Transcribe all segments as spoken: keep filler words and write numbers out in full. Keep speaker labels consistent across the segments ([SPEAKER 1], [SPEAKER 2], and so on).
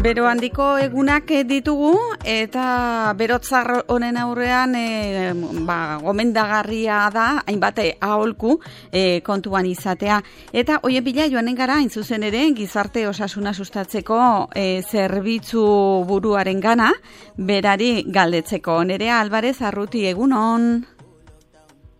[SPEAKER 1] Bero handiko egunak ditugu eta berotzar honen aurrean e, ba, gomendagarria da hainbat aholku e, kontuan izatea. Eta hoien bila joanen gara hain zuzen ere gizarte osasuna sustatzeko e, zerbitzu buruaren gana berari galdetzeko. Nerea Alvarez Arruti, egunon.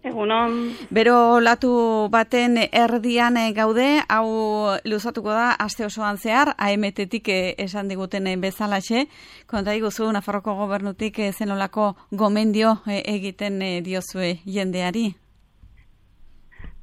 [SPEAKER 2] Egunon.
[SPEAKER 1] Bero latu baten erdian gaude, hau luzatuko da aste osoan zehar, A M T-tik esan diguten bezalaxe, konta iguzu Nafarroko gobernutik zenolako gomendio egiten diozue jendeari?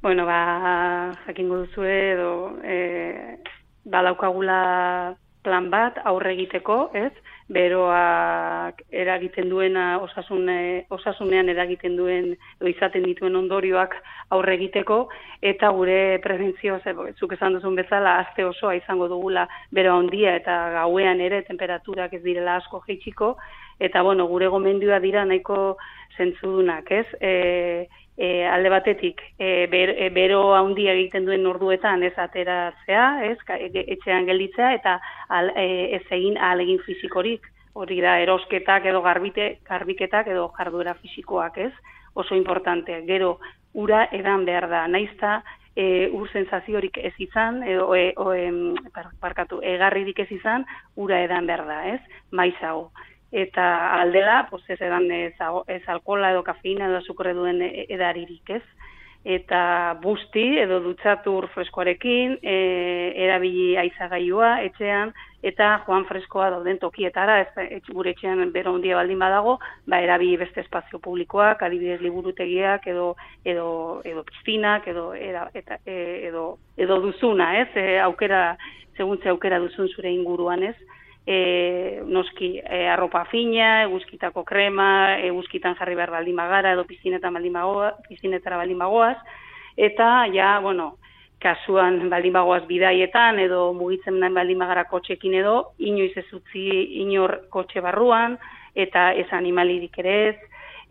[SPEAKER 2] Bueno, ba, jakingo duzue edo e, badaukagula plan bat aurre egiteko, ez? Beroak eragiten duena osasun, osasunean eragiten duen edo izaten dituen ondorioak aurre egiteko, eta gure prebentzio, zuk esan duzun bezala, aste osoa izango dugula bero handia eta gauean ere temperaturak ez direla asko jaitsiko, eta bueno, gure gomendioa dira nahiko zentzudunak, ez? E, E, alde batetik, e, ber, e, bero handia egiten duen orduetan ez ateratzea, ez, etxean gelditzea, eta al, e, ez egin ahalegin fisikorik, hori da erosketak edo garbite, garbiketak edo jarduera fisikoak, ez, oso importante. Gero, ura edan behar da, naizta e, ur sensaziorik ez izan, edo, e, o, e, parkatu, egarririk ez izan, ura edan behar da, ez, maizago. Eta aldela, pues ez edan ez, ez alkohola edo kafeina edo azukre duen edaririk, ez? Eta busti edo dutxatur freskoarekin, e, erabili aizagailua etxean, eta joan freskoa dauden tokietara, ez, gure etxean bero handia baldin badago, ba erabili beste espazio publikoak, adibidez liburutegiak edo edo edo piscinak edo era, eta, e, edo edo duzuna, ez? E, aukera, segun ze aukera duzun zure inguruan, ez? E, noski e, arropa fina, eguzkitako krema, eguzkitan jarri behar baldin bagara edo pizinetan baldin bagoaz, pizinetara baldin bagoaz, eta ja, bueno, kasuan baldin bagoaz bidaietan edo mugitzen baldin bagara kotxekin edo, inoiz ez utzi inor kotxe barruan, eta ez animalirik ere ez,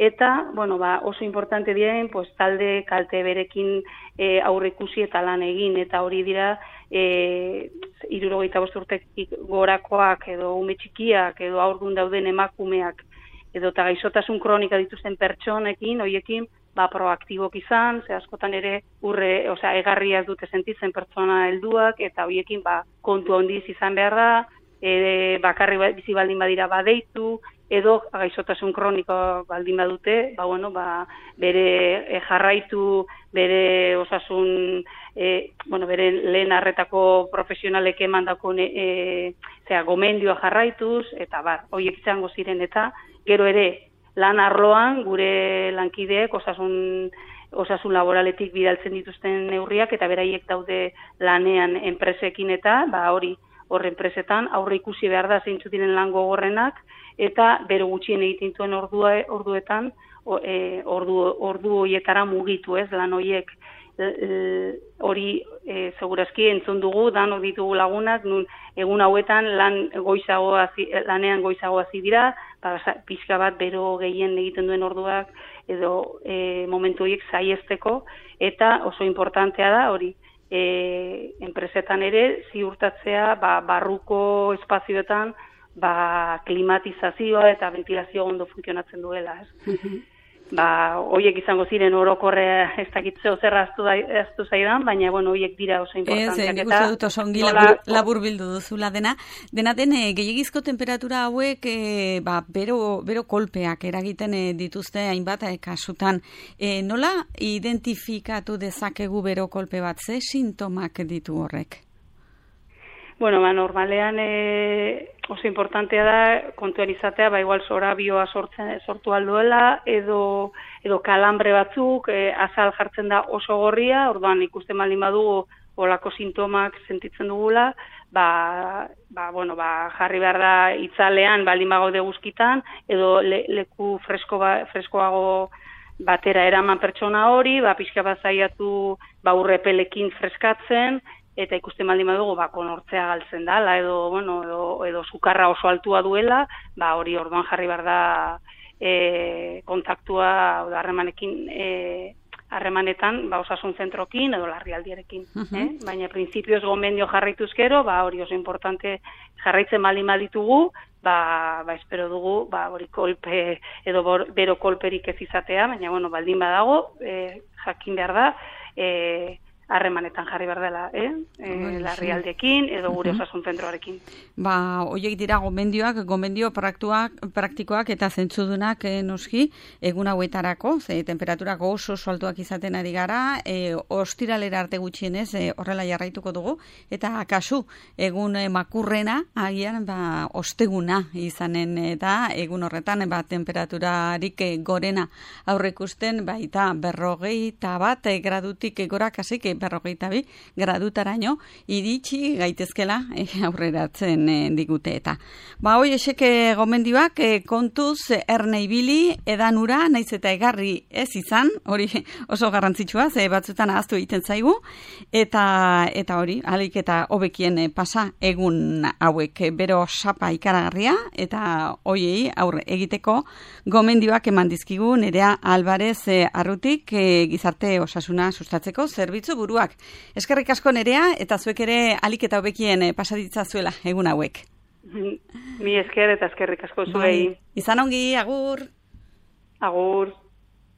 [SPEAKER 2] eta, bueno, ba, oso importante diren, pues, talde kalte berekin e, aurre ikusi eta lan egin, eta hori dira, e, hirurogeita bost urtetik gorakoak edo ume txikiak edo haurdun dauden emakumeak edo eta gaixotasun kronika dituzten pertsonekin, hoiekin, ba, proaktibok izan, ze askotan ere urre, osea, egarria dute sentitzen pertsona helduak, eta hoiekin, ba, kontu handiz izan behar da, e, bakarri bizi baldin badira badeitu, edo gaixotasun kroniko baldin badute, ba, bueno, ba, bere e, jarraitu, bere osasun, e, bueno, bere lehen arretako profesionalek emandako e, zera, gomendioa jarraituz, eta bar, horiek izango ziren, eta gero ere lan arloan gure lankideek osasun, osasun laboraletik bidaltzen dituzten neurriak, eta beraiek daude lanean enpresekin eta, ba, hori, horren enpresetan aurre ikusi behar da zeintzu diren lan gogorrenak, eta bero gutxien egiten duen ordua, orduetan, e, ordu, ordu horietara mugitu, ez, lan horiek hori e, segurazki entzun dugu, danok ditugu lagunak, nun egun hauetan lan goizago hazi, lanean goizago hasi dira, pixka bat bero gehien egiten duen orduak, edo e, momentu horiek saiesteko, eta oso importantea da hori, E, enpresetan ere ziurtatzea ba, barruko espazioetan ba, klimatizazioa eta ventilazio ondo funtzionatzen duela. Ez? Ba, hoiek izango ziren orokorrea ez dakitzeo zer aztu, aztu zaidan, baina bueno, hoiek dira oso importanteak.
[SPEAKER 1] Ez, nik uste dut oso ongi labur, labur bildu duzula dena. Dena den, e, gehiagizko temperatura hauek e, ba, bero, bero kolpeak eragiten e, dituzte hainbat e, kasutan. E, nola identifikatu dezakegu bero kolpe bat, ze sintomak ditu horrek?
[SPEAKER 2] Bueno, ba, normalean e, oso importantea da kontuan izatea, ba, igual zorabioa sortzen, sortu alduela, edo, edo kalambre batzuk, e, azal jartzen da oso gorria, orduan ikusten baldin badugu olako sintomak sentitzen dugula, ba, ba, bueno, ba, jarri behar da itzalean baldin bagaude guzkitan, edo le, leku fresko ba, freskoago batera eraman pertsona hori, ba, pixka bat zaiatu ba, urrepelekin freskatzen, eta ikusten baldin badugu, ba, konortzea galtzen dala, edo, bueno, edo, edo sukarra oso altua duela, ba, hori orduan jarri behar da e, kontaktua, oda harremanekin e, harremanetan ba, osasun zentrokin edo larrialdierekin. Uh-huh. eh? Baina printzipioz gomendio jarraituzkero, ba, hori oso importante jarraitzen mali malitugu, ba, ba espero dugu, ba, hori kolpe edo bor, bero kolperik ez izatea, baina bueno, baldin badago, e, jakin behar da, e, harremanetan jarri behar dela, eh? E, larrialdekin edo gure osasun zentroarekin.
[SPEAKER 1] Ba, horiek dira gomendioak, gomendio praktikoak, praktikoak eta zentzudunak eh, noski, egun hauetarako, ze temperaturak oso oso altuak izaten ari gara, e, ostiralera arte gutxienez e, horrela jarraituko dugu, eta kasu, egun e, makurrena, agian, ba, osteguna izanen, eta egun horretan, ba, temperaturarik e, gorena aurreikusten, baita berrogei eta bat e, gradutik e, gora kasik, e, berrogeita bi gradutaraino iritsi gaitezkela eh, aurreratzen eh, digute eta. Ba, hoi eseke gomendioak eh, kontuz erne ibili edanura naiz eta egarri ez izan, hori oso garrantzitsua, ze batzutan ahaztu egiten zaigu, eta eta hori, alik eta hobekien eh, pasa egun hauek eh, bero sapa ikaragarria, eta hoiei aurre egiteko gomendioak eman dizkigu Nerea Alvarez eh, Arrutik eh, gizarte osasuna sustatzeko zerbitzu buruak. Eskerrik asko Nerea, eta zuek ere alik eta hobekien pasaditza zuela egun hauek.
[SPEAKER 2] Mi esker eta eskerrik asko zuei.
[SPEAKER 1] Bai. Izan ongi, agur.
[SPEAKER 2] Agur.